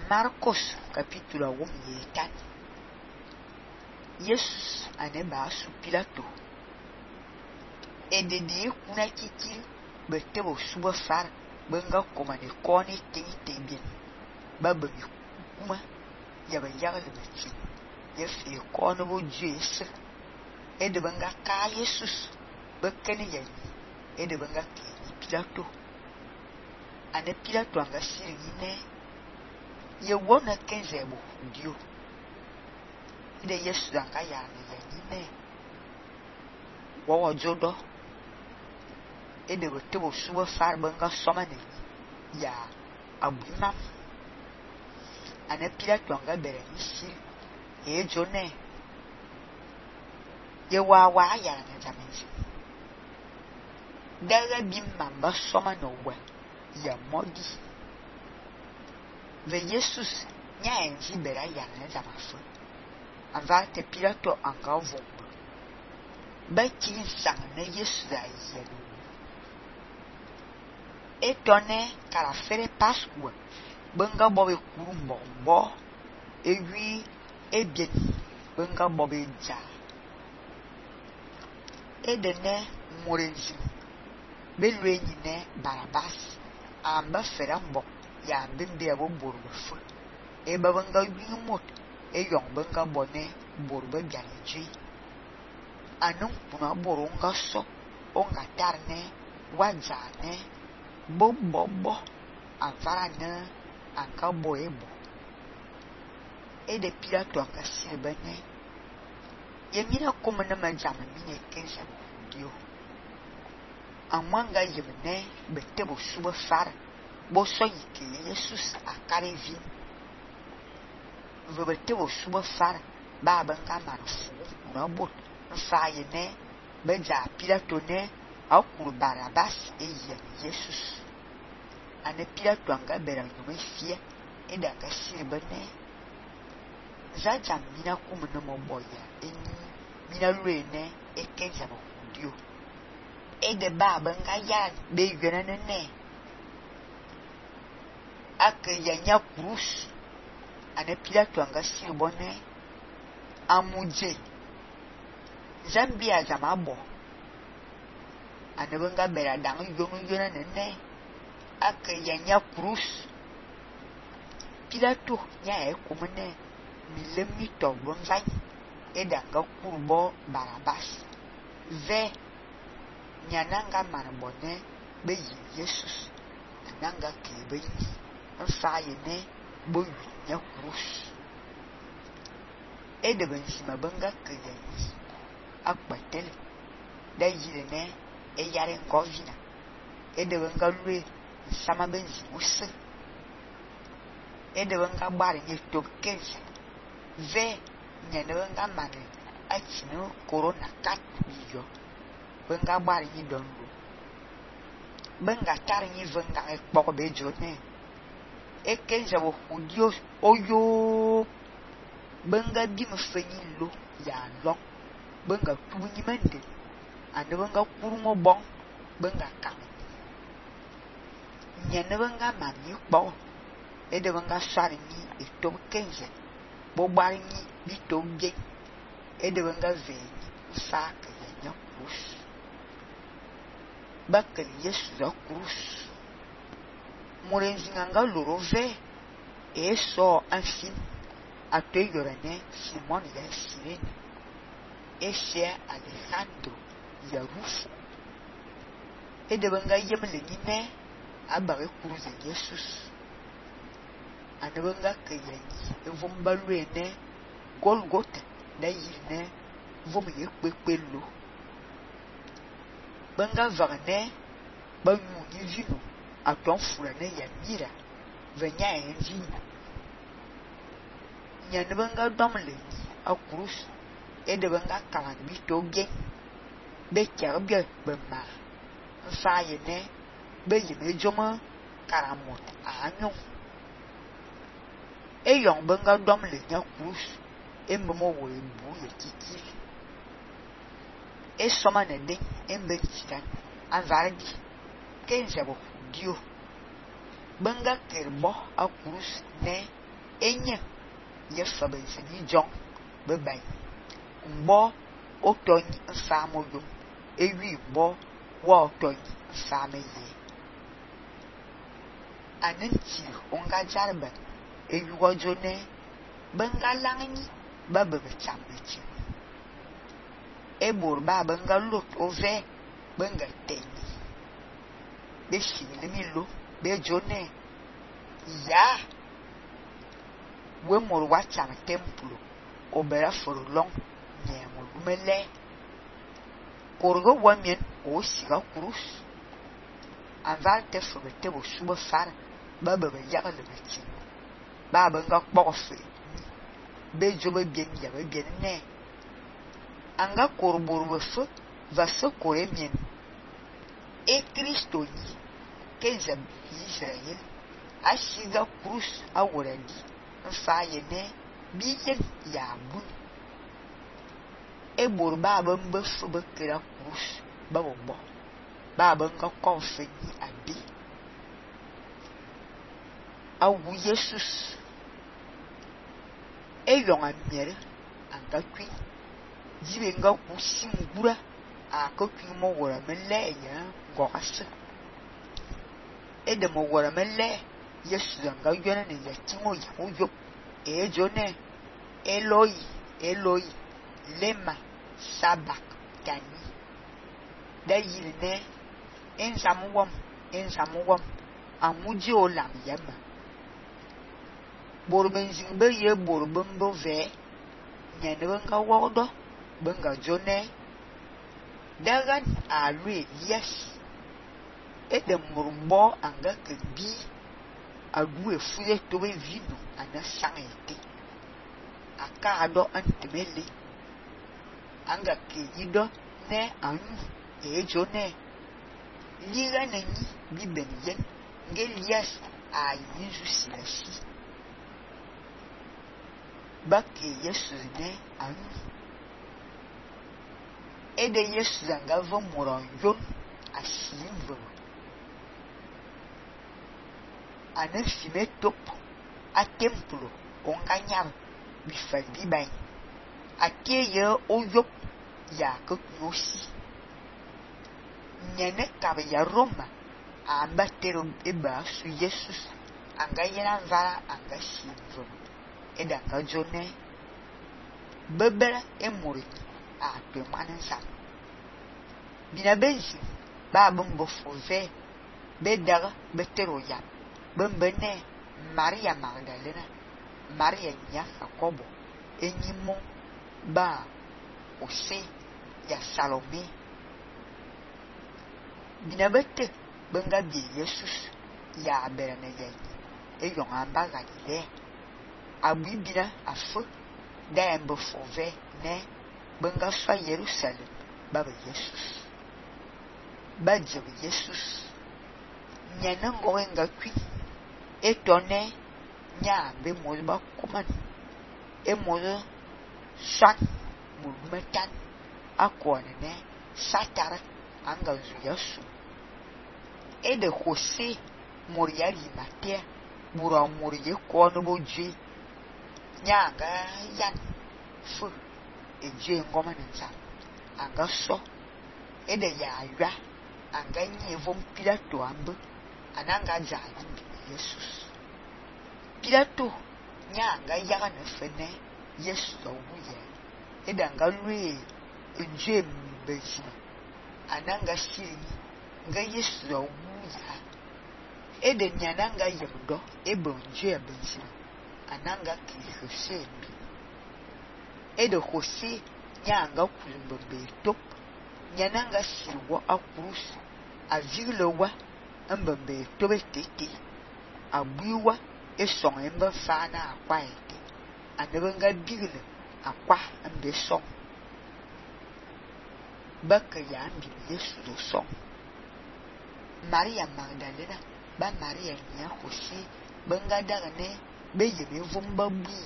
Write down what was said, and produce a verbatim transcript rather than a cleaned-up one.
Marcos capítulo um yetan. Jesus ane ba su Pilato. E de de kuna kiki bete bo suba far benga koma de koni tingi tebien. Baba mi kuma ya ba yaga le beti. Ya fi kono bo Jesus. E de benga ka Jesus bekene ya ni. E de benga ke Pilato. Ane Pilato anga siri ne ye wona kenze bo dio. Ide Yesu anga ya ne ne. Wo jodo. Ede bo te bo suba far benga soma ne ya abunam. Ane Pilato anga bere ni si e jone. Ye wa wa ya na jamenzi. Daga bim mamba soma no we ya modi. Ve Jesus nya enzi bera ya na jamafu. Ava te Pilato anga vomba. Ba kin sang na Jesus da yelo. E tonne kala fere Pascua. Benga bobe kurumbo bo. E wi e bien. Benga bobe ja. E de ne morenzi. Belwe ne Barabas. Amba ferambo. Ya bimbe abo borbo fu. E babanga wi mot. E yong benga bone borbo bianji. Anung puna boronga so. Onga tarne. Wazane. Bo bo bo. Avara ne. Anka bo ebo. E de Pilato anka silbene. Yemina kumana majama mine kensa dio. Amanga yemne bete bo suba far. Bo so yike Jesus akare vi. Vebete bo suba far. Ba benga marufu. Na bot. Fa yene. Beja Pilato ne. Akuru Barabas e yem Jesus. Ane Pilato anga bera nyome fie. E da ka silbene. Zaja mina kumana moboya. Eni. Mina luene. E kenza bo dio. E de ba benga ya. Be yene ne. Ake yanya krus. Ane Pilato anga silbone. Amuje. Zambia zamabo. Ane benga bera dang yono yona nene. Ake yanya krus. Pilato nya e kumene. Milemi to bonzai. E danga kurbo Barabas. Ve. Nyananga manabone. Be yi Jesus. Nanga kebe yi. Nfa yene. Bo yi nya krus. E de benzima benga kebe yi. Akbatele. Da yi ne. E yare ngovina. E de benga lue. Sama benzi use. E de benga bari nye top kense. Ve. Nyane benga mane. Achino corona kat biyo. Benga bari nye donlo. Benga tari nye venga e poko bejo ne. E kense wo hudio oyo. Benga bim fenyi lo. Ya long. Benga tubu nye mende. Ane benga kuru mo bon. Benga kame. Nyane benga mami po. E de benga sari nye. E tobu kense. Bo bari nye. Bito bie. E de benga veni. Ufaka yanya krus. Bakali Yesu da krus. Morenzi nga loro ve. E so anfin. Ato yorane. Simon ya sirene. E se Alejandro. Ya rufo. E de benga yemle nine. Abare krus de Jesus. Ane benga kayanyi. E vomba luene. Golgotha. Da yine. Vom ye kpekpe lo. Benga varne. Banyu ni vino. Aton furane ya mira. Venya en vino. Nyane benga domle. A krus. E de benga kalan bito gen. Be kerbye bema. Nfa yene. Be yeme joma. Karamot. Anyon. E yon benga domle nya krus. E mbomo wo ebu ye kiki. E soma ne den. E mbe chitan. Anvardi. Kenze bo dio. Benga kerbo a krus ne. Enye ye fa ben se ni jong be bay mbo oton nsa mo yo ewi mbo wa oton nsa me ye anenti onga jarba ewi wojo ne benga langni ba be chambe e bor ba benga lot ove benga teni be shini mi lo be jone ya we mor wa cham templo obera for long ne mo mele korgo wamien o siga kurus anval te fo te bo suba far ba ba ya le beti ba ba nga kpofe be jobe bien ya be bien ne anga korbor bo fo va se koremien e Kristo ni ke zab Israel a siga kurus a woradi fa ye ne biyen ya bu e bor ba ba mbe fo be kira kurus ba bo bo ba ba nga konfe ni abi awu Jesus e yon amiere anga kwi jibe nga ku singura a ko kwi mo wora mele ya ngokase e de mo wora mele Yesu nga yona ne yatimo ya yo e jone Eloi Eloi lema sabak tani da yirne en samuwam en samuwam amuji olam yama borben zingbe ye borben bo ve nyane nga wodo benga jone dagan alwe yes e de murmbo anga kebi agu efuye to be vino ana sangete aka ado antemele anga ke yido ne anu e jone liga nani bi benyen ngelias a yizu silasi bakke Yesu ne anu e de Yesu zanga vo moron yon asimvo ana fime top a templo onganyam bi fa bi bay akeye oyop ya ko nosi nyene ka ya Roma amba tero eba su Jesus anga yena vara anga simvo eda ka jone bebere e mori a pe manensa bina benzi ba bumbo fove bedara betero ya bembene Maria Magdalena Maria nya Jacobo enyimo ba ose ya Salome binabete benga bi Jesus ya berane ye e yon amba Galilea abibira afo da embo fove ne benga fa Jerusalem baba Jesus badje Jesus nyana ngoenga kwi etone nya be mo ba kuman e mo sat mo metan akone ne satara anga Yesu e de Jose moriari matia bura morie ko no boji nya ga yan fu e je ngoma nsa anga so e de ya ya anga nyi vom Pilato ambu ananga ja Jesus Pilato nya nga yaga na fene Yesu wuye edanga lui ejem bezi ananga siri nga Yesu wuya ede nyananga yemdo ebonje bezi ananga kihose ede Jose nya nga kulumbe top nyananga siwo akurus azilewa ambambe tobe tete abuwa esong emba fana akwa ete anebenga bigile akwa ambe song baka ya ambi Yesu do song Maria Magdalena ba Maria nya Jose benga daga ne beye be vumba bu